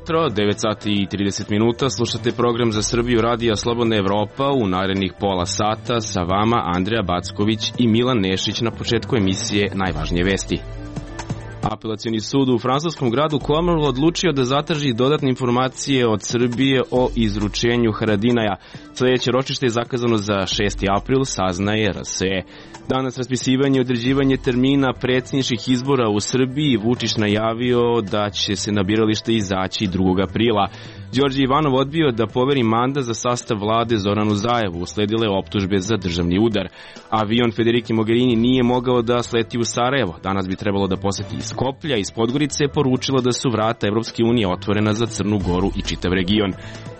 Jutro, 9 sati i 30 minuta, slušate program za Srbiju Radija Slobodna Evropa. U narednih pola sata sa vama Andreja Backović i Milan Nešić. Na početku emisije najvažnije vesti. Apelacioni sud u francuskom gradu Colmar odlučio da zatraži dodatne informacije od Srbije o izručenju Haradinaja. Sledeće ročište je zakazano za 6. april, saznaje RSE. Danas raspisivanje i određivanje termina predsjedničkih izbora u Srbiji. Vučić najavio da će se na biralište izaći 2. aprila. Đorđe Ivanov odbio da poveri mandat za sastav vlade Zoranu Zaevu. Usledile optužbe za državni udar. Avion Federike Mogherini nije mogao da sleti u Sarajevo. Danas bi trebalo da poseti iz Skoplja. Iz Podgorice je poručila da su vrata Evropske unije otvorena za Crnu Goru i čitav region.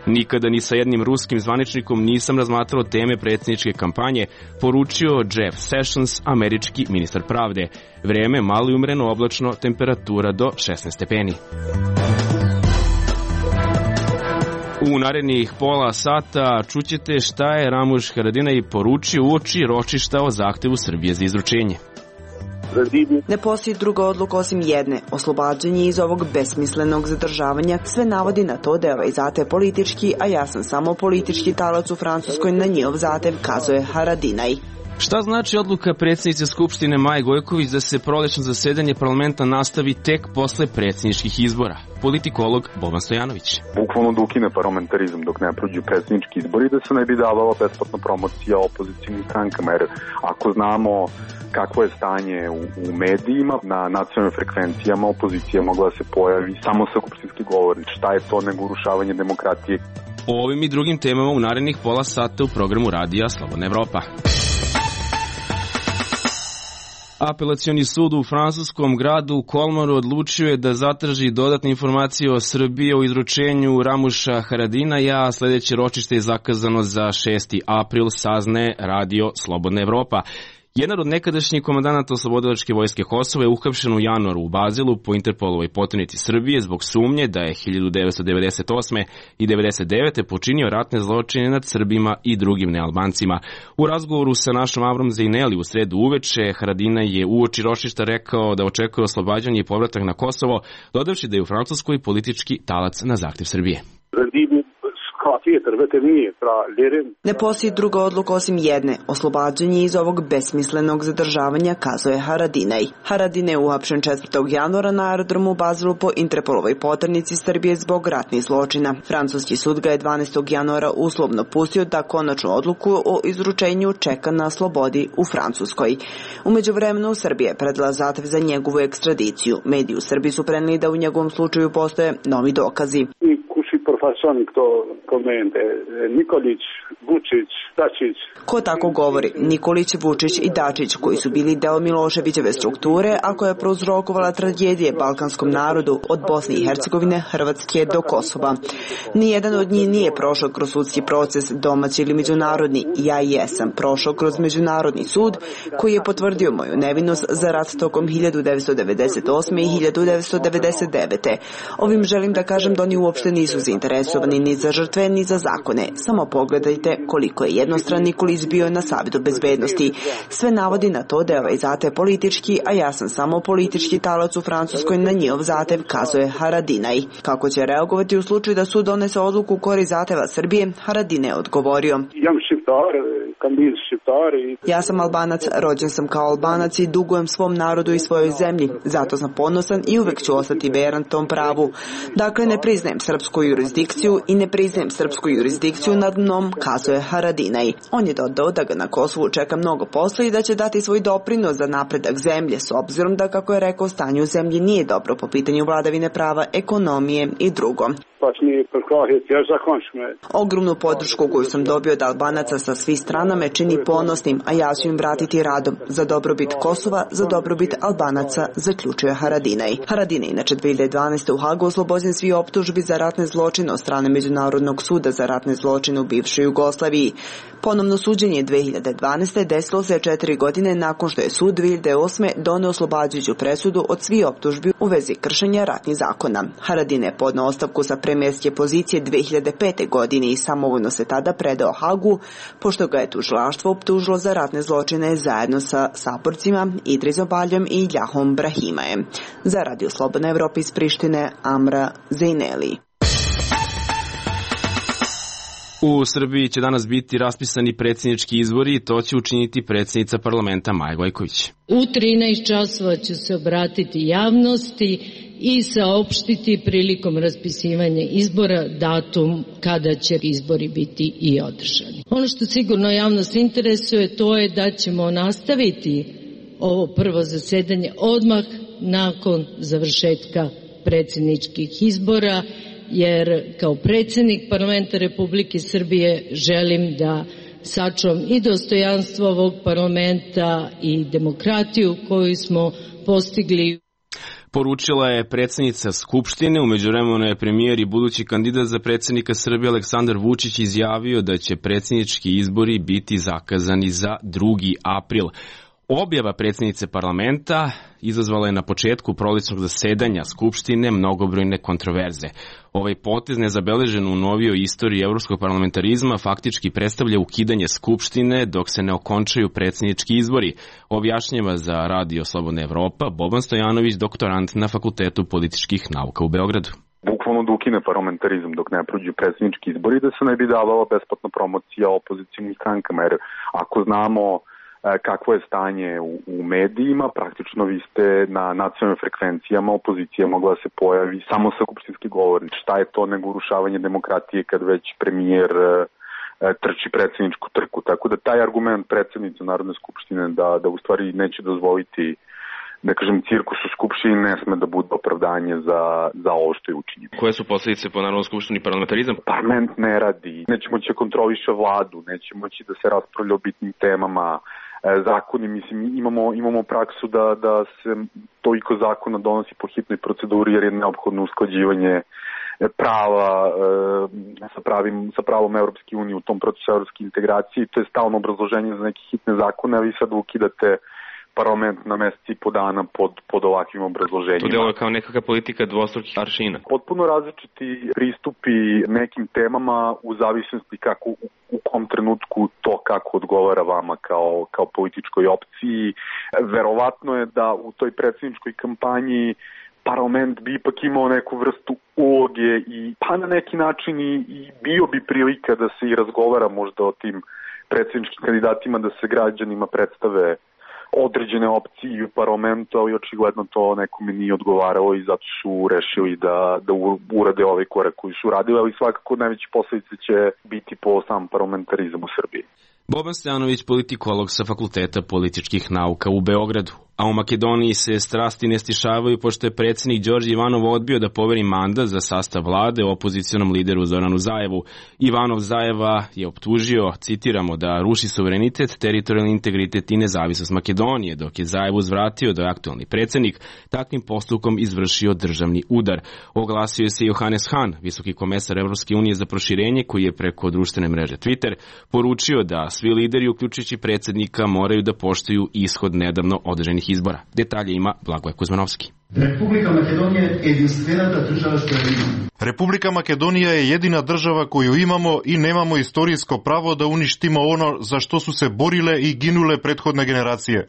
Nikada ni sa jednim ruskim zvaničnikom nisam razmatrao teme predsjedničke kampanje, poručio Jeff Sessions, američki ministar pravde. Vreme malo i umreno oblačno, temperatura do 16 stepeni. U narednih pola sata čućete šta je Ramuš Haradinaj poručio uoči ročišta o zahtevu Srbije za izručenje. Ne postoji druga odluka osim jedne, oslobađanje iz ovog besmislenog zadržavanja. Sve navodi na to da je ovaj zahtev politički, a ja sam samo politički talac u Francuskoj na njihov zahtev, kazuje Haradinaj. Šta znači odluka predsjednice Skupštine Maje Gojković da se prolećno zasedanje parlamenta nastavi tek posle predsjedničkih izbora? Politikolog Boban Stojanović. Bukvalno da ukine parlamentarizam dok ne prođu predsjednički izbori, da se ne bi davala besplatna promocija opozicijnim strankama, jer ako znamo kakvo je stanje u medijima, na nacionalnim frekvencijama opozicija mogla se pojavi samo sa skupštinski govornik. Šta je to nego urušavanje demokratije? O ovim i drugim temama u narednih pola sata u programu Radija Slobodna Evropa. Apelacioni sud u francuskom gradu Colmaru odlučio je da zatraži dodatne informacije o Srbiji o izručenju Ramuša Haradinaja. Sledeće ročište je zakazano za 6. april, saznaje Radio Slobodna Evropa. Jedan od nekadašnjih komandanata Oslobodilačke vojske Kosova je uhapšen u januaru u Bazilu po Interpolovoj poternici Srbije zbog sumnje da je 1998. i 1999. počinio ratne zločine nad Srbima i drugim nealbancima. U razgovoru sa našom Avrom Zejneli u sredu uveče, Haradinaj je uoči ročišta rekao da očekuje oslobađanje i povratak na Kosovo, dodavši da je u Francuskoj politički talac na zahtev Srbije. Ne postoji druga odluka osim jedne, oslobađanje iz ovog besmislenog zadržavanja, kazuje Haradinaj. Haradinaj je uhapšen 4. januara na aerodromu u Bazilu po Interpolovoj poternici Srbije zbog ratnih zločina. Francuski sud ga je 12. januara uslovno pustio da konačnu odluku o izručenju čeka na slobodi u Francuskoj. U međuvremenu Srbija je predala zahtev za njegovu ekstradiciju. Mediji u Srbiji su preneli da u njegovom slučaju postoje novi dokazi. Nikolić, Vučić, Dačić. Ko tako govori? Nikolić, Vučić i Dačić, koji su bili deo Miloševićeve strukture, a koja je prouzrokovala tragedije balkanskom narodu od Bosne i Hercegovine, Hrvatske do Kosova. Nijedan od njih nije prošao kroz sudski proces, domaći ili međunarodni. Ja jesam prošao kroz međunarodni sud koji je potvrdio moju nevinost za rat tokom 1998. i 1999. Ovim želim da kažem da oni uopšte nisu zainteresovani ni za žrtve ni za zakone. Samo pogledajte koliko je jednostran Nikolić bio na Savetu bezbednosti. Sve navodi na to da je ovaj zahtev politički, a ja sam samo politički talac u Francuskoj na njihov zahtev, kazuje Haradinaj. Kako će reagovati u slučaju da sud donese odluku u korist zahteva Srbije, Haradinaj je odgovorio. Ja sam Albanac, rođen sam kao Albanac i dugujem svom narodu i svojoj zemlji. Zato sam ponosan i uvek ću ostati veran tom pravu. Dakle, ne priznajem srpsku jurisdikciju i ne priznajem srpsku jurisdikciju nad mnom, kazuje Haradinaj. On je dodao da ga na Kosovu čeka mnogo posla i da će dati svoj doprinos za napredak zemlje, s obzirom da, kako je rekao, stanje u zemlji nije dobro po pitanju vladavine prava, ekonomije i drugo. Ogromnu podršku koju sam dobio od Albanaca sa svih strana me čini ponosnim, a ja ću im vratiti radom. Za dobrobit Kosova, za dobrobit Albanaca, zaključuje Haradinaj. Haradinaj inače 2012. u Hagu oslobođen svi optužbi za ratne zločine od strane Međunarodnog suda za ratne zločine u bivšoj Jugoslaviji. Ponovno suđenje 2012. desilo se 4 godine nakon što je sud 2008. doneo oslobađajuću presudu od svih optužbi u vezi kršenja ratnih zakona. Haradinaj je podneo ostavku sa premijerske pozicije 2005. godine i samovoljno se tada predao Hagu, pošto ga je tužilaštvo optužilo za ratne zločine zajedno sa saborcima Idrisom Baljom i Ljahom Brahimajem. Za Radio Slobodna Evropa iz Prištine, Amra Zejneli. U Srbiji će danas biti raspisani predsjednički izbori i to će učiniti predsjednica parlamenta Maja Gojković. U 13 časova ću se obratiti javnosti i saopštiti prilikom raspisivanja izbora datum kada će izbori biti i održani. Ono što sigurno javnost interesuje to je da ćemo nastaviti ovo prvo zasedanje odmah nakon završetka predsjedničkih izbora, jer kao predsjednik parlamenta Republike Srbije želim da sačuvam i dostojanstvo ovog parlamenta i demokratiju koju smo postigli. Poručila je predsjednica Skupštine. U međuvremenu je premijer i budući kandidat za predsjednika Srbije Aleksandar Vučić izjavio da će predsjednički izbori biti zakazani za 2. april. Objava predsjednice parlamenta izazvala je na početku prolećnog zasedanja Skupštine mnogobrojne kontroverze. Ovaj potez, nezabeležen u novijoj istoriji evropskog parlamentarizma, faktički predstavlja ukidanje Skupštine dok se ne okončaju predsjednički izbori, objašnjava za Radio Slobodna Evropa Boban Stojanović, doktorant na Fakultetu političkih nauka u Beogradu. Bukvalno da ukine parlamentarizam dok ne prođu predsjednički izbori, da se ne bi davala besplatna promocija opozicijnim strankama, jer ako znamo kakvo je stanje u medijima, praktično vi ste na nacionalnim frekvencijama, opozicija mogla da se pojavi samo sa skupštinski govornik. Šta je to nego urušavanje demokratije kad već premijer trči predsjedničku trku. Tako da taj argument predsjednice Narodne skupštine da u stvari neće dozvoliti, da kažem, cirkus u skupštini ne sme da bude opravdanje za ovo što je učinjeno. Koje su posljedice po Narodnoj skupštini parlamentarizam? Parlament ne radi, neće moći da kontroliše vladu, neće moći da se raspravlja o bitnim temama, zakoni, mislim, imamo praksu da se toliko zakona donosi po hitnoj proceduri jer je neophodno usklađivanje prava sa pravom Evropske unije u tom procesu evropske integracije. To je stalno obrazloženje za neke hitne zakone, a vi sad ukidate parlament na mesec i po dana pod ovakvim obrazloženjima. To deluje kao nekakva politika dvostrukih aršina. Potpuno različiti pristupi nekim temama u zavisnosti kako u kom trenutku to kako odgovara vama kao političkoj opciji. Verovatno je da u toj predsjedničkoj kampanji parlament bi ipak imao neku vrstu uloge i pa na neki način i bio bi prilika da se i razgovara možda o tim predsjedničkim kandidatima, da se građanima predstave određene opcije u parlamentu, ali očigledno to nekome nije odgovaralo i zato su rešili da urade ovaj korak koji su uradili, ali svakako najveće posljedice će biti po sam parlamentarizam u Srbiji. Boban Stojanović, politikolog sa Fakulteta političkih nauka u Beogradu. A u Makedoniji se strasti ne stišavaju pošto je predsjednik Đorđe Ivanov odbio da poveri mandat za sastav vlade opozicionom lideru Zoranu Zajevu. Ivanov Zajeva je optužio, citiramo, da ruši suverenitet, teritorijalni integritet i nezavisnost Makedonije, dok je Zajev uzvratio da je aktualni predsjednik takvim postupkom izvršio državni udar. Oglasio se Johannes Hahn, visoki komesar Evropske unije za proširenje, koji je preko društvene mreže Twitter poručio da svi lideri, uključujući predsjednika, moraju da poštuju ishod nedavno održanih izbora. Detalje ima Blagoje Kuzmanovski. Republika Makedonija je jedinstvenata država što imamo. Republika Makedonija je jedina država koju imamo i nemamo istorijsko pravo da uništimo ono za što su se borile i ginule prethodne generacije.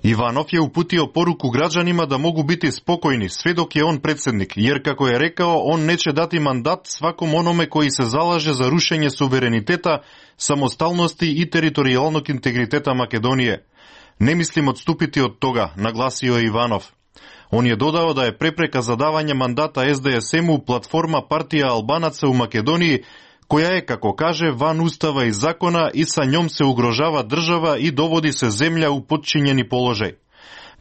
Ivanov je uputio poruku građanima da mogu biti spokojni sve dok je on predsjednik, jer kako je rekao, on neće dati mandat svakom onome koji se zalaže za rušenje suvereniteta, samostalnosti i teritorijalnog integriteta Makedonije. Ne mislim odstupiti od toga, naglasio je Ivanov. On je dodao da je prepreka za davanje mandata SDSM-u platforma partija Albanaca u Makedoniji, koja je, kako kaže, van ustava i zakona i sa njom se ugrožava država i dovodi se zemlja u podčinjeni položaj.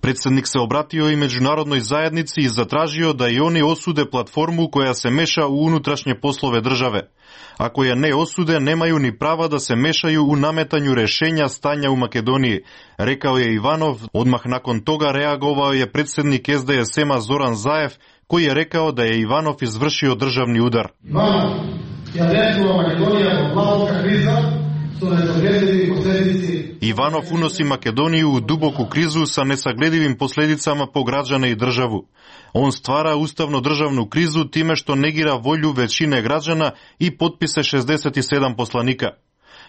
Predsjednik se obratio i međunarodnoj zajednici i zatražio da i oni osude platformu koja se meša u unutrašnje poslove države. Ako je ne osude, nemaju ni prava da se mešaju u nametanju rešenja stanja u Makedoniji, rekao je Ivanov. Odmah nakon toga reagovao je predsjednik SDSM-a Zoran Zajev, koji je rekao da je Ivanov izvršio državni udar. Ivanov unosi Makedoniju u duboku krizu sa nesagledivim posljedicama po građane i državu. On stvara ustavno-državnu krizu time što negira volju većine građana i potpise 67 poslanika.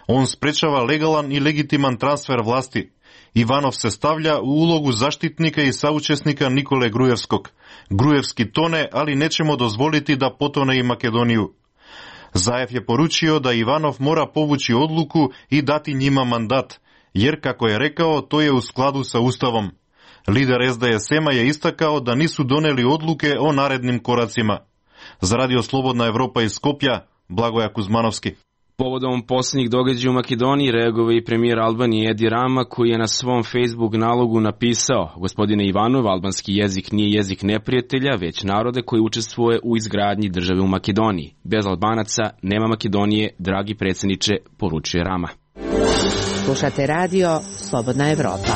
On sprečava legalan i legitiman transfer vlasti. Ivanov se stavlja u ulogu zaštitnika i saučesnika Nikole Grujevskog. Grujevski tone, ali nećemo dozvoliti da potone i Makedoniju. Zaev je poručio da Ivanov mora povući odluku i dati njima mandat, jer, kako je rekao, to je u skladu sa Ustavom. Lider SDSM-a je istakao da nisu doneli odluke o narednim koracima. Za Radio Slobodna Evropa iz Skopja, Blagoja Kuzmanovski. Povodom posljednjih događaja u Makedoniji reagovao i premijer Albanije Edi Rama, koji je na svom Facebook nalogu napisao: Gospodine Ivanov, albanski jezik nije jezik neprijatelja, već narode koji učestvuje u izgradnji države u Makedoniji. Bez Albanaca nema Makedonije, dragi predsjedniče, poručuje Rama. Slušate radio Slobodna Evropa.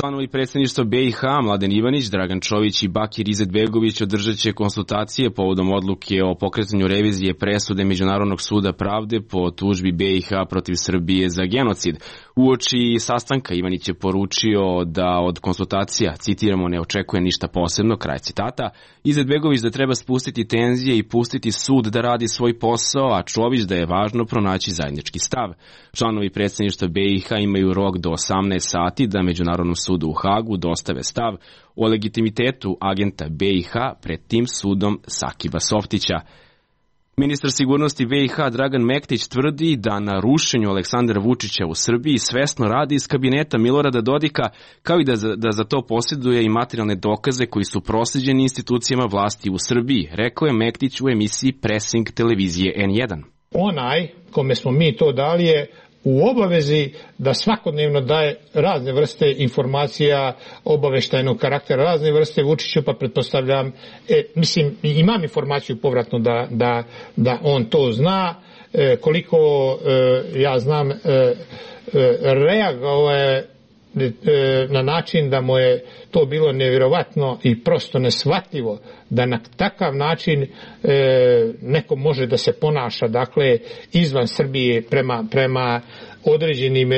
Članovi predsjedništva BiH Mladen Ivanić, Dragan Čović i Bakir Izetbegović održat će konsultacije povodom odluke o pokretanju revizije presude Međunarodnog suda pravde po tužbi BiH protiv Srbije za genocid. Uoči sastanka Ivanić je poručio da od konsultacija, citiramo, ne očekuje ništa posebno, kraj citata. Izetbegović da treba spustiti tenzije i pustiti sud da radi svoj posao, a Čović da je važno pronaći zajednički stav. Članovi predsjedništva BiH imaju rok do 18 sati da Međunarodnom sudu u Hagu dostave stav o legitimitetu agenta BiH pred tim sudom Sakiba Softića. Ministar sigurnosti BiH Dragan Mektić tvrdi da na rušenju Aleksandra Vučića u Srbiji svesno radi iz kabineta Milorada Dodika, kao i da za to posjeduje i materijalne dokaze koji su proslijeđeni institucijama vlasti u Srbiji, rekao je Mektić u emisiji Pressing televizije N1. Onaj kome smo mi to dali je u obavezi da svakodnevno daje razne vrste informacija obaveštajnog karaktera, razne vrste Vučiću, pa pretpostavljam, imam informaciju povratno da on to zna, koliko ja znam, reagovao je na način da mu je to bilo nevjerovatno i prosto neshvatljivo da na takav način neko može da se ponaša, dakle, izvan Srbije prema određenim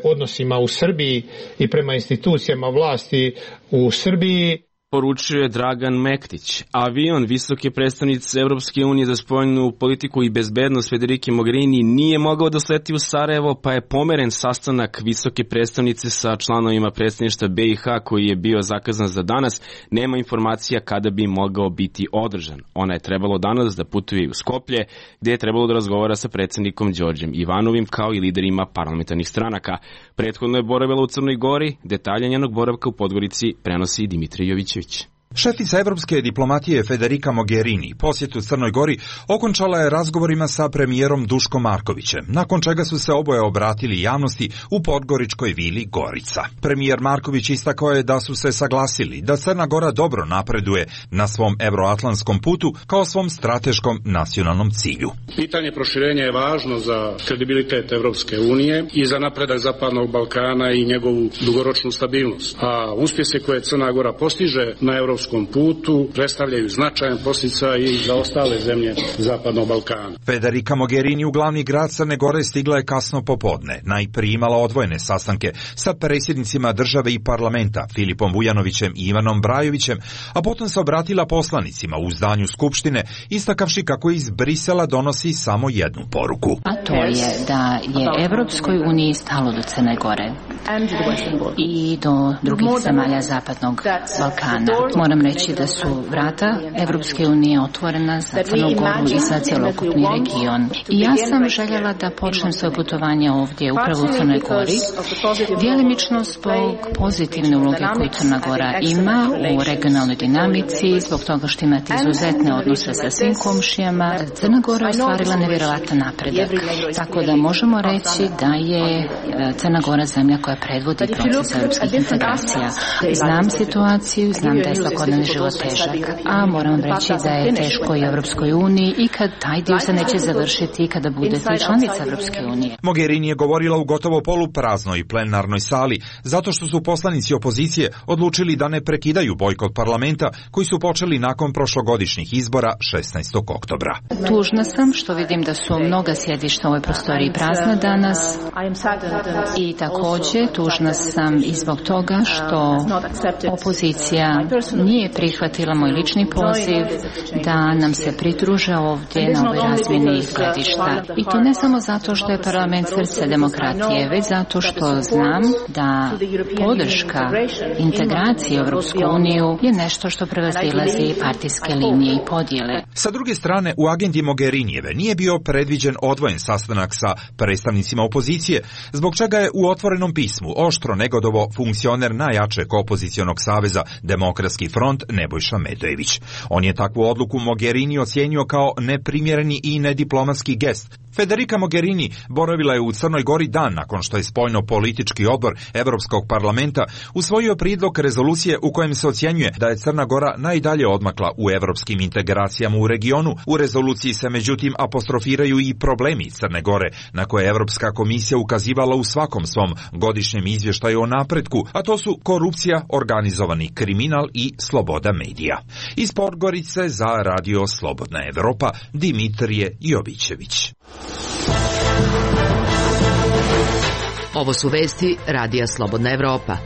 odnosima u Srbiji i prema institucijama vlasti u Srbiji. Poručuje Dragan Mektić. Avion visoke predstavnice Evropske unije za spoljnu politiku i bezbednost Federike Mogherini nije mogao da sleti u Sarajevo, pa je pomeren sastanak visoke predstavnice sa članovima predstavništva BiH koji je bio zakazan za danas. Nema informacija kada bi mogao biti održan. Ona je trebalo danas da putuje u Skoplje, gdje je trebalo da razgovara sa predsjednikom Đorđem Ivanovim kao i liderima parlamentarnih stranaka. Prethodno je boravila u Crnoj Gori, detalje njenog boravka u Podgorici prenosi Dimitrij Jovićević. Šefica evropske diplomatije Federica Mogherini posjetu Crnoj Gori okončala je razgovorima sa premijerom Duškom Markovićem, nakon čega su se oboje obratili javnosti u podgoričkoj vili Gorica. Premijer Marković istakao je da su se saglasili da Crna Gora dobro napreduje na svom euroatlantskom putu kao svom strateškom nacionalnom cilju. Pitanje proširenja je važno za kredibilitet Evropske unije i za napredak Zapadnog Balkana i njegovu dugoročnu stabilnost. A uspjese koje Crna Gora postiže na evropskom putu predstavljaju značajan podsticaj i za ostale zemlje Zapadnog Balkana. Federica Mogherini u glavni grad Crne Gore stigla je kasno popodne. Najprije imala odvojene sastanke sa predsjednicima države i parlamenta Filipom Vujanovićem i Ivanom Brajovićem, a potom se obratila poslanicima u zdanju Skupštine, istakavši kako iz Brisela donosi samo jednu poruku. A to je da je Evropskoj uniji stalo do Crne Gore i do drugih zemalja Zapadnog Balkana. Moram reći da su vrata Evropske unije otvorena za Crnu Goru i za cjelokupni region. I ja sam željela da počnem svoje putovanje ovdje upravo u Crnoj Gori, djelimično zbog pozitivne uloge koju Crna Gora ima u regionalnoj dinamici, zbog toga što imate izuzetne odnose sa svim komšijama. Crna Gora je ostvarila nevjerojatan napredak, tako da možemo reći da je Crna Gora zemlja koja predvodi proces evropskih integracija. Znam situaciju, znam da je svakodnevni život težak. A moram vam reći da je teško i Evropskoj uniji i kad taj dio se neće završiti kada budete članica Evropske unije. Mogherini je govorila u gotovo polupraznoj plenarnoj sali, zato što su poslanici opozicije odlučili da ne prekidaju bojkot parlamenta koji su počeli nakon prošlogodišnjih izbora 16. oktobra. Tužna sam što vidim da su mnoga sjedišta u ovoj prostoriji prazna danas i također tužna sam i zbog toga što opozicija nije prihvatila moj lični poziv da nam se pridruže ovdje na ovoj razmjeni gledišta. I to ne samo zato što je parlament srce demokratije, već zato što znam da podrška integracije u Europsku uniju je nešto što prevazilazi partijske linije i podjele. Sa druge strane, u agendi Mogherinijeve nije bio predviđen odvojen sastanak sa predstavnicima opozicije, zbog čega je u otvorenom pismu oštro negodovo funkcioner najjačeg opozicionog saveza Demokratski front Nebojša Medojević. On je takvu odluku Mogherini ocijenio kao neprimjereni i nediplomatski gest. Federica Mogherini boravila je u Crnoj Gori dan nakon što je spoljno-politički odbor Evropskog parlamenta usvojio prijedlog rezolucije u kojem se ocjenjuje da je Crna Gora najdalje odmakla u evropskim integracijama u regionu. U rezoluciji se međutim apostrofiraju i problemi Crne Gore, na koje Evropska komisija ukazivala u svakom svom godišnjem izvještaju o napretku, a to su korupcija, organizovani kriminal i sloboda medija. Iz Podgorice za Radio Slobodna Evropa, Dimitrije Jovićević. Ovo su vesti Radija Slobodna Evropa.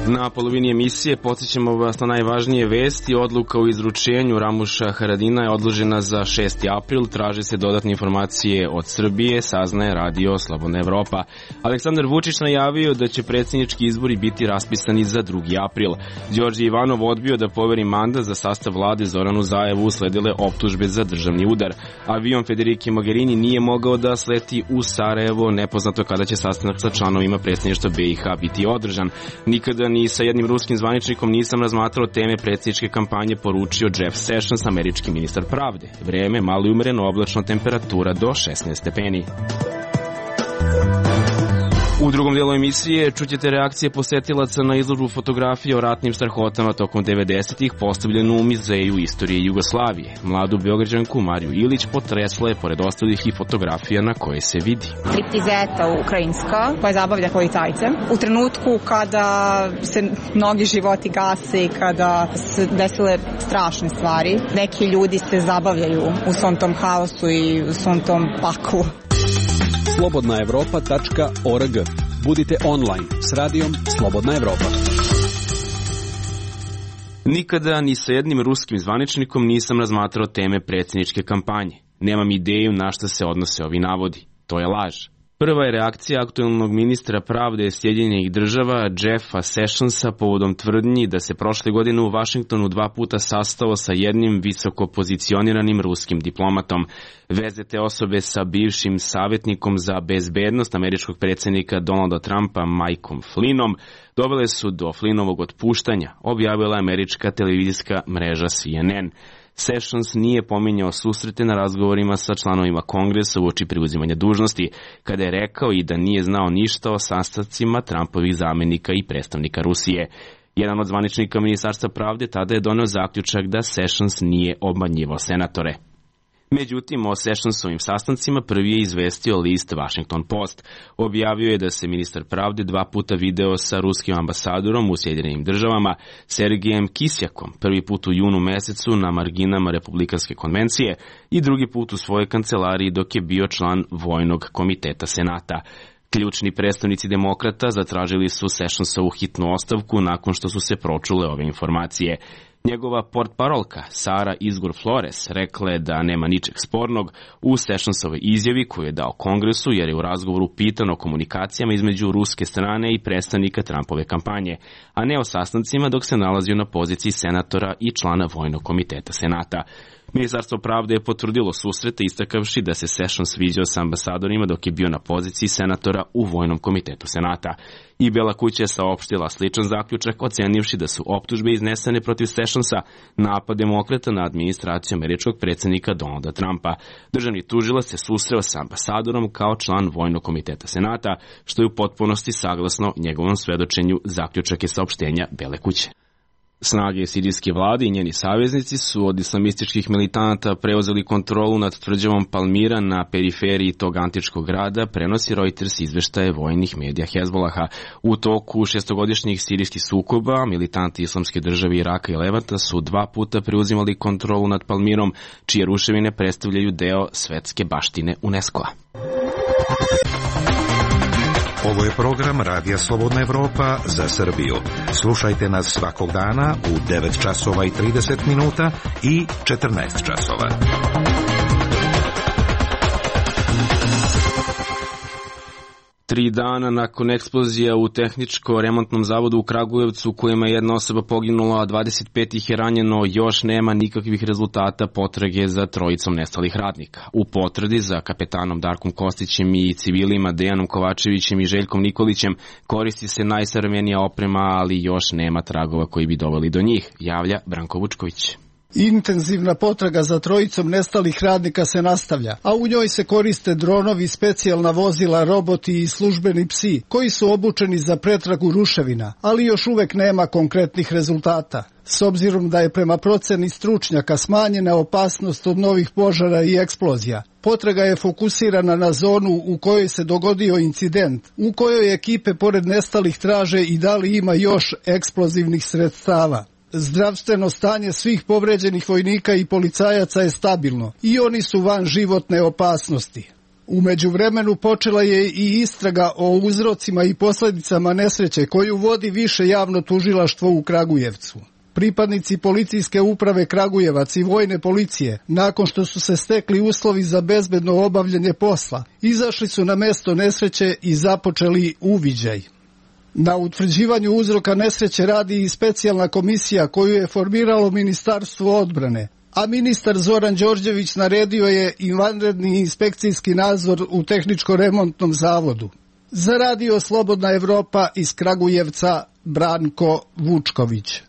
Na polovini emisije podsjećamo vas na najvažnije vesti. Odluka o izručenju Ramuša Haradina je odložena za 6. april. Traže se dodatne informacije od Srbije, saznaje Radio Slobodna Evropa. Aleksandar Vučić najavio da će predsjednički izbori biti raspisani za 2. april. Đorđe Ivanov odbio da poveri mandat za sastav vlade Zoranu Zaevu, usledile optužbe za državni udar. Avion Federike Mogherini nije mogao da sleti u Sarajevo, nepoznato kada će sastanak sa članovima predsjedništva BiH biti održan. Nikada ni sa jednim ruskim zvaničnikom nisam razmatrao teme predsjedničke kampanje, poručio Jeff Sessions, američki ministar pravde. Vreme, malo i umereno oblačno, temperatura do 16 stepeni. U drugom dijelu emisije čućete reakcije posetilaca na izložbu fotografije o ratnim strahotama tokom 90-ih postavljenu u Muzeju istorije Jugoslavije. Mladu Beograđanku Mariju Ilić potresla je pored ostalih i fotografija na koje se vidi. Striptizeta ukrajinska koja zabavlja policajce. U trenutku kada se mnogi životi gase i kada se desile strašne stvari, neki ljudi se zabavljaju u svom tom haosu i u svom tom paklu. slobodnaevropa.org. Budite online s radijom Slobodna Evropa. Nikada ni sa jednim ruskim zvaničnikom nisam razmatrao teme predsjedničke kampanje. Nemam ideju na šta se odnose ovi navodi. To je laž. Prva je reakcija aktuelnog ministra pravde Sjedinjenih država Jeffa Sessionsa povodom tvrdnji da se prošle godine u Vašingtonu 2 puta sastao sa jednim visoko pozicioniranim ruskim diplomatom. Veze te osobe sa bivšim savjetnikom za bezbednost američkog predsjednika Donalda Trumpa Mikeom Flynnom dovele su do Flynnovog otpuštanja, objavila američka televizijska mreža CNN. Sessions nije pominjao susrete na razgovorima sa članovima Kongresa uoči preuzimanja dužnosti, kada je rekao i da nije znao ništa o sastancima Trumpovih zamjenika i predstavnika Rusije. Jedan od zvaničnika Ministarstva pravde tada je doneo zaključak da Sessions nije obmanjivao senatore. Međutim, o Sessionsovim sastancima prvi je izvestio list Washington Post. Objavio je da se ministar pravde 2 puta video sa ruskim ambasadorom u Sjedinjenim državama Sergejem Kisjakom, prvi put u junu mesecu na marginama Republikanske konvencije i drugi put u svojoj kancelariji dok je bio član Vojnog komiteta Senata. Ključni predstavnici demokrata zatražili su Sessionsovu hitnu ostavku nakon što su se pročule ove informacije. Njegova portparolka Sara Izgur Flores rekla je da nema ničeg spornog u Sessionsovoj izjavi koju je dao Kongresu, jer je u razgovoru pitan o komunikacijama između ruske strane i predstavnika Trumpove kampanje, a ne o sastancima dok se nalazio na poziciji senatora i člana Vojnog komiteta Senata. Ministarstvo pravde je potvrdilo susrete istakavši da se Sessions sviđao sa ambasadorima dok je bio na poziciji senatora u Vojnom komitetu Senata. I Bela kuća je saopštila sličan zaključak, ocenivši da su optužbe iznesene protiv Sessionsa napad demokrata na administraciju američkog predsjednika Donalda Trumpa. Državni tužilac se susreo sa ambasadorom kao član Vojnog komiteta Senata, što je u potpunosti saglasno njegovom svedočenju, zaključak je saopštenja Bele kuće. Snage sirijske vlade i njeni saveznici su od islamističkih militanata preuzeli kontrolu nad tvrđavom Palmira na periferiji tog antičkog grada, prenosi Reuters izveštaje vojnih medija Hezbolaha. U toku šestogodišnjih sirijskih sukoba, militanti Islamske države Iraka i Levanta su 2 puta preuzimali kontrolu nad Palmirom, čije ruševine predstavljaju deo svetske baštine UNESCO-a. Ovo je program Radija Slobodna Evropa za Srbiju. Slušajte nas svakog dana u 9 časova i 30 minuta i 14 časova. Tri dana nakon eksplozija u tehničko-remontnom zavodu u Kragujevcu, u kojima je jedna osoba poginula, a 25 ih je ranjeno, još nema nikakvih rezultata potrage za trojicom nestalih radnika. U potrazi za kapetanom Darkom Kostićem i civilima Dejanom Kovačevićem i Željkom Nikolićem koristi se najsavremenija oprema, ali još nema tragova koji bi doveli do njih, javlja Branko Vučković. Intenzivna potraga za trojicom nestalih radnika se nastavlja, a u njoj se koriste dronovi, specijalna vozila, roboti i službeni psi, koji su obučeni za pretragu ruševina, ali još uvek nema konkretnih rezultata. S obzirom da je prema proceni stručnjaka smanjena opasnost od novih požara i eksplozija, potraga je fokusirana na zonu u kojoj se dogodio incident, u kojoj ekipe pored nestalih traže i da li ima još eksplozivnih sredstava. Zdravstveno stanje svih povređenih vojnika i policajaca je stabilno i oni su van životne opasnosti. U međuvremenu počela je i istraga o uzrocima i posljedicama nesreće koju vodi Više javno tužilaštvo u Kragujevcu. Pripadnici policijske uprave Kragujevac i vojne policije, nakon što su se stekli uslovi za bezbedno obavljanje posla, izašli su na mesto nesreće i započeli uviđaj. Na utvrđivanju uzroka nesreće radi i specijalna komisija koju je formiralo Ministarstvo odbrane, a ministar Zoran Đorđević naredio je i vanredni inspekcijski nadzor u tehničko-remontnom zavodu. Za Radio Slobodna Evropa iz Kragujevca, Branko Vučković.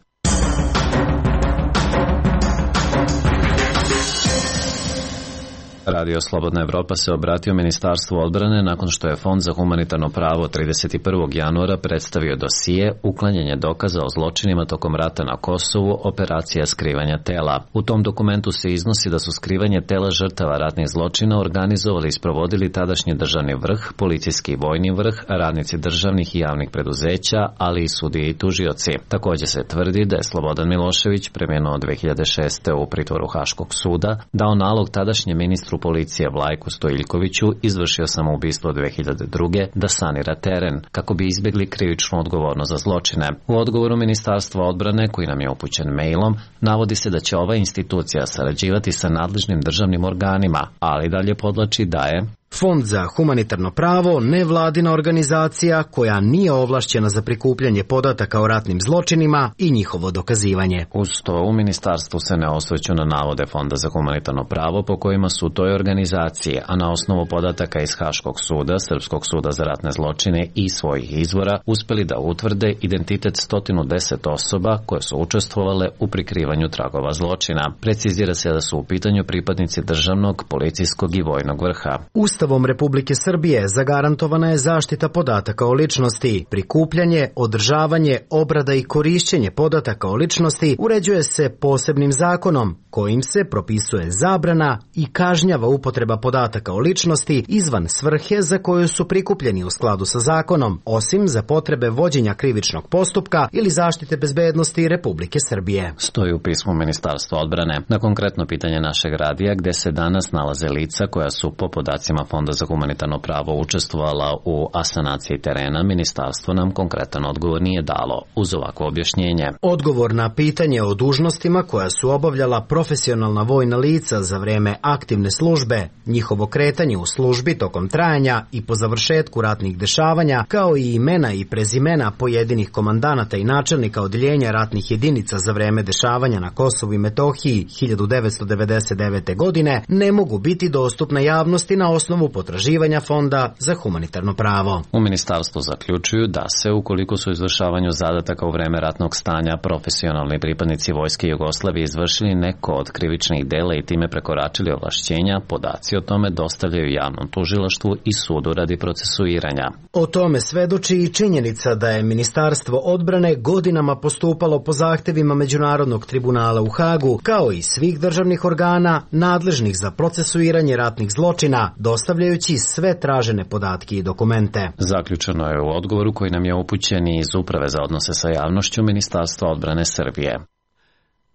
Radio Slobodna Evropa se obratio Ministarstvu odbrane nakon što je Fond za humanitarno pravo 31. januara predstavio dosije uklanjanje dokaza o zločinima tokom rata na Kosovu, operacija skrivanja tela. U tom dokumentu se iznosi da su skrivanje tela žrtava ratnih zločina organizovali i sprovodili tadašnji državni vrh, policijski i vojni vrh, radnici državnih i javnih preduzeća, ali i sudije i tužioci. Također se tvrdi da je Slobodan Milošević, preminuo 2006. u pritvoru Haškog suda, dao nalog tadašnjem ministru policije Vlajku Stojiljkoviću, izvršio samoubistvo 2002. da sanira teren, kako bi izbjegli krivičnu odgovornost za zločine. U odgovoru Ministarstva odbrane, koji nam je upućen mailom, navodi se da će ova institucija sarađivati sa nadležnim državnim organima, ali dalje podlači da je Fond za humanitarno pravo nevladina organizacija koja nije ovlašćena za prikupljanje podataka o ratnim zločinima i njihovo dokazivanje. Uz to u ministarstvu se ne osvrću na navode Fonda za humanitarno pravo po kojima su toj organizaciji, a na osnovu podataka iz Haškog suda, Srpskog suda za ratne zločine i svojih izvora, uspeli da utvrde identitet 110 osoba koje su učestvovale u prikrivanju tragova zločina. Precizira se da su u pitanju pripadnici državnog, policijskog i vojnog vrha. Ustavom Republike Srbije zagarantovana je zaštita podataka o ličnosti. Prikupljanje, održavanje, obrada i korišćenje podataka o ličnosti uređuje se posebnim zakonom, kojim se propisuje zabrana i kažnjava upotreba podataka o ličnosti izvan svrhe za koju su prikupljeni u skladu sa zakonom, osim za potrebe vođenja krivičnog postupka ili zaštite bezbednosti Republike Srbije. Stoji u pismu Ministarstva odbrane. Na konkretno pitanje našeg radija, gde se danas nalaze lica koja su po podacima Fonda za humanitarno pravo učestvovala u asanaciji terena, ministarstvo nam konkretan odgovor nije dalo uz ovakvo objašnjenje. Odgovor na pitanje o dužnostima koja su obavljala profesionalna vojna lica za vreme aktivne službe, njihovo kretanje u službi tokom trajanja i po završetku ratnih dešavanja, kao i imena i prezimena pojedinih komandanata i načelnika odjeljenja ratnih jedinica za vreme dešavanja na Kosovu i Metohiji 1999. godine, ne mogu biti dostupne javnosti na osnovu potraživanja Fonda za humanitarno pravo. U ministarstvu zaključuju da se, ukoliko su izvršavanju zadataka u vreme ratnog stanja profesionalni pripadnici Vojske Jugoslavije izvršili neko od krivičnih dela i time prekoračili ovlašćenja, podaci o tome dostavljaju javnom tužilaštvu i sudu radi procesuiranja. O tome svedoči i činjenica da je Ministarstvo odbrane godinama postupalo po zahtevima Međunarodnog tribunala u Hagu, kao i svih državnih organa nadležnih za procesuiranje ratnih zločina, dostavljajući sve tražene podatke i dokumente. Zaključeno je u odgovoru koji nam je upućen iz Uprave za odnose sa javnošću Ministarstva odbrane Srbije.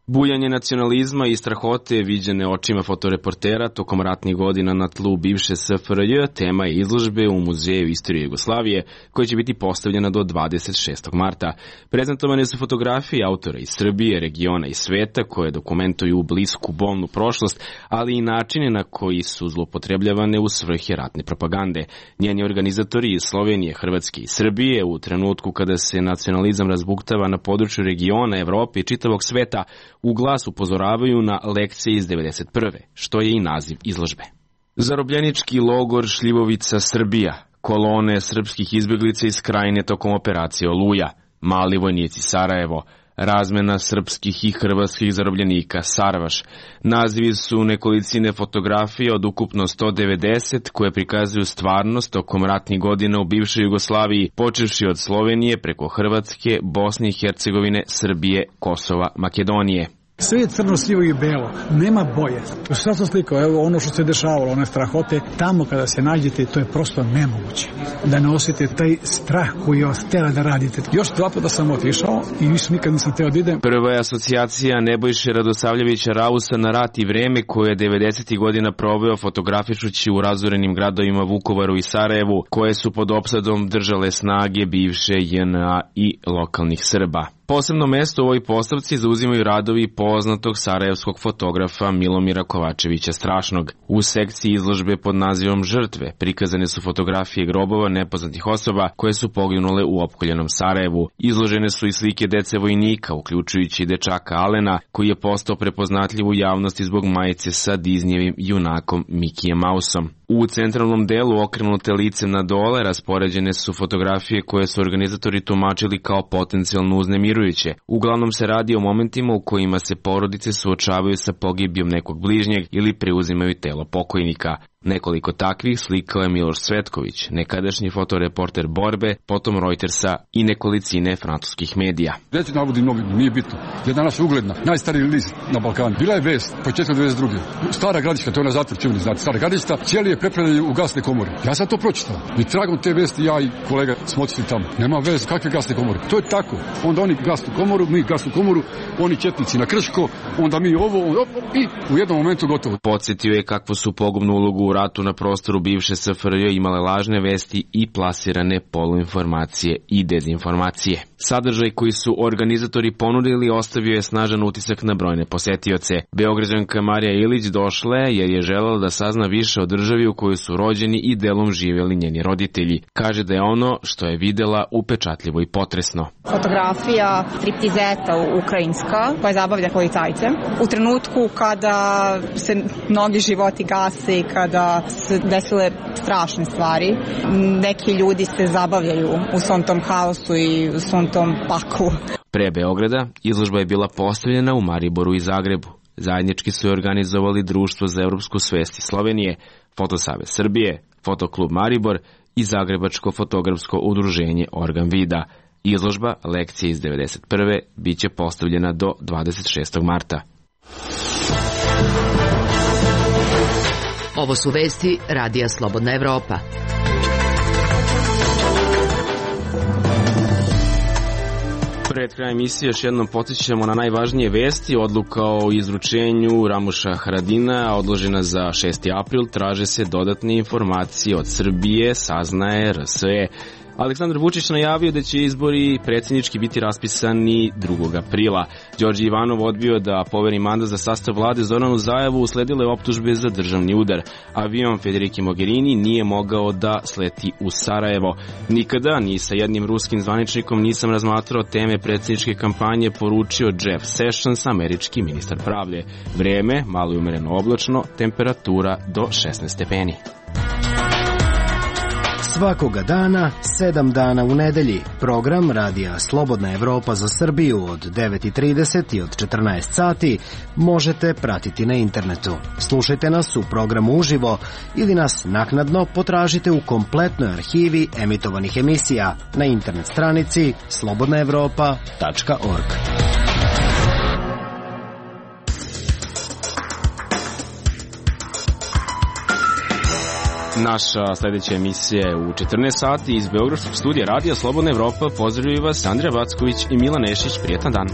Bujanje nacionalizma i strahote viđene očima fotoreportera tokom ratnih godina na tlu bivše SFRJ tema je izložbe u Muzeju istorije Jugoslavije koja će biti postavljena do 26. marta. Prezentovane su fotografije autora iz Srbije, regiona i sveta koje dokumentuju blisku bolnu prošlost, ali i načine na koji su zloupotrebljavane u svrhe ratne propagande. Njeni organizatori iz Slovenije, Hrvatske i Srbije u trenutku kada se nacionalizam razbuktava na području regiona, Evrope i čitavog sveta u glas upozoravaju na lekcije iz 1991. što je i naziv izložbe. Zarobljenički logor Šljivovica, Srbija, kolone srpskih izbjeglica iz Krajine tokom operacije Oluja, mali vojnici Sarajevo, razmena srpskih i hrvatskih zarobljenika Sarvaš. Nazivi su nekolicine fotografije od ukupno 190 koje prikazuju stvarnost tokom ratnih godina u bivšoj Jugoslaviji, počevši od Slovenije preko Hrvatske, Bosne i Hercegovine, Srbije, Kosova, Makedonije. Sve je crno, sivo i belo, nema boje. Šta sam slikao, evo ono što se dešavalo, one strahote, tamo kada se nađete, to je prosto nemoguće. Da ne osjetite taj strah koji vas tera da radite. Još 2 puta sam otišao i više nikad nisam teo da idem. Prva je asocijacija Nebojše Radosavljevića Rausa na rat i vreme koje je 90. godina proveo fotografišući u razorenim gradovima Vukovaru i Sarajevu, koje su pod opsadom držale snage bivše JNA i lokalnih Srba. Posebno mesto u ovoj postavci zauzimaju radovi poznatog sarajevskog fotografa Milomira Kovačevića Strašnog. U sekciji izložbe pod nazivom Žrtve prikazane su fotografije grobova nepoznatih osoba koje su poginule u opkoljenom Sarajevu. Izložene su i slike dece vojnika, uključujući dečaka Alena, koji je postao prepoznatljiv u javnosti zbog majice sa Disneyevim junakom Mikijem Mausom. U centralnom delu, okrenute licem na dole, raspoređene su fotografije koje su organizatori tumačili kao potencijalno uznemirujuće. Uglavnom se radi o momentima u kojima se porodice suočavaju sa pogibijom nekog bližnjeg ili preuzimaju telo pokojnika. Nekoliko takvih slikao je Miloš Cvetković, nekadašnji fotoreporter Borbe, potom Reutersa i nekolicine francuskih medija. Neću navodim novinom, nije bitno. Je danas ugledna, najstariji list na Balkanu. Bila je vest, početka 92. Stara Gradiška, to je na zatvor, čemu ne znate, Stara Gradiška, cijeli je prepravljeni u gasne komore. Ja sam to pročitao. I tragom te vesti ja i kolega smo otišli tamo. Nema veze, kakve gasne komore? To je tako. Onda oni gasnu komoru, mi gasnu komoru, oni četnici na Krško, onda mi ovo i u jednom momentu gotovo. Podsjetio je kakvu su pogubnu ulogu u ratu na prostoru bivše SFRJ imale lažne vesti i plasirane poluinformacije i dezinformacije. Sadržaj koji su organizatori ponudili ostavio je snažan utisak na brojne posetioce. Beograđanka Marija Ilić došla je jer je želela da sazna više o državi u kojoj su rođeni i delom živjeli njeni roditelji. Kaže da je ono što je videla upečatljivo i potresno. Fotografija striptizeta ukrajinska koja zabavlja policajce. U trenutku kada se mnogi životi gase i kada se desile strašne stvari, neki ljudi se zabavljaju u svom tom haosu i u svom tom paklu. Pre Beograda izložba je bila postavljena u Mariboru i Zagrebu. Zajednički su je organizovali Društvo za evropsku svest iz Slovenije, Fotosavez Srbije, Fotoklub Maribor i Zagrebačko fotografsko udruženje Organ Vida. Izložba lekcije iz 1991. biće postavljena do 26. marta. Ovo su vesti Radija Slobodna Evropa. Pred krajem emisije još jednom podsjećamo na najvažnije vesti. Odluka o izručenju Ramuša Haradina odložena za 6. april. Traže se dodatne informacije od Srbije, saznaje RSE. Aleksandar Vučić najavio da će izbori predsjednički biti raspisani 2. aprila. Đorđe Ivanov odbio da poveri mandat za sastav vlade Zoranu Zaevu, usledile optužbe za državni udar. Avion Federike Mogherini nije mogao da sleti u Sarajevo. Nikada ni sa jednim ruskim zvaničnikom nisam razmatrao teme predsjedničke kampanje, poručio Jeff Sessions, američki ministar pravde. Vreme, malo i umereno oblačno, temperatura do 16 stepeni. Svakoga dana, 7 dana u nedelji. Program Radija Slobodna Evropa za Srbiju od 9:30 i od 14 sati možete pratiti na internetu. Slušajte nas u programu uživo ili nas naknadno potražite u kompletnoj arhivi emitovanih emisija na internet stranici slobodnaevropa.org. Naša sljedeća emisija je u 14 sati iz Beogradskog studija Radija Slobodna Evropa. Pozdravljaju vas Andrija Backović i Milan Nešić. Prijetan dan.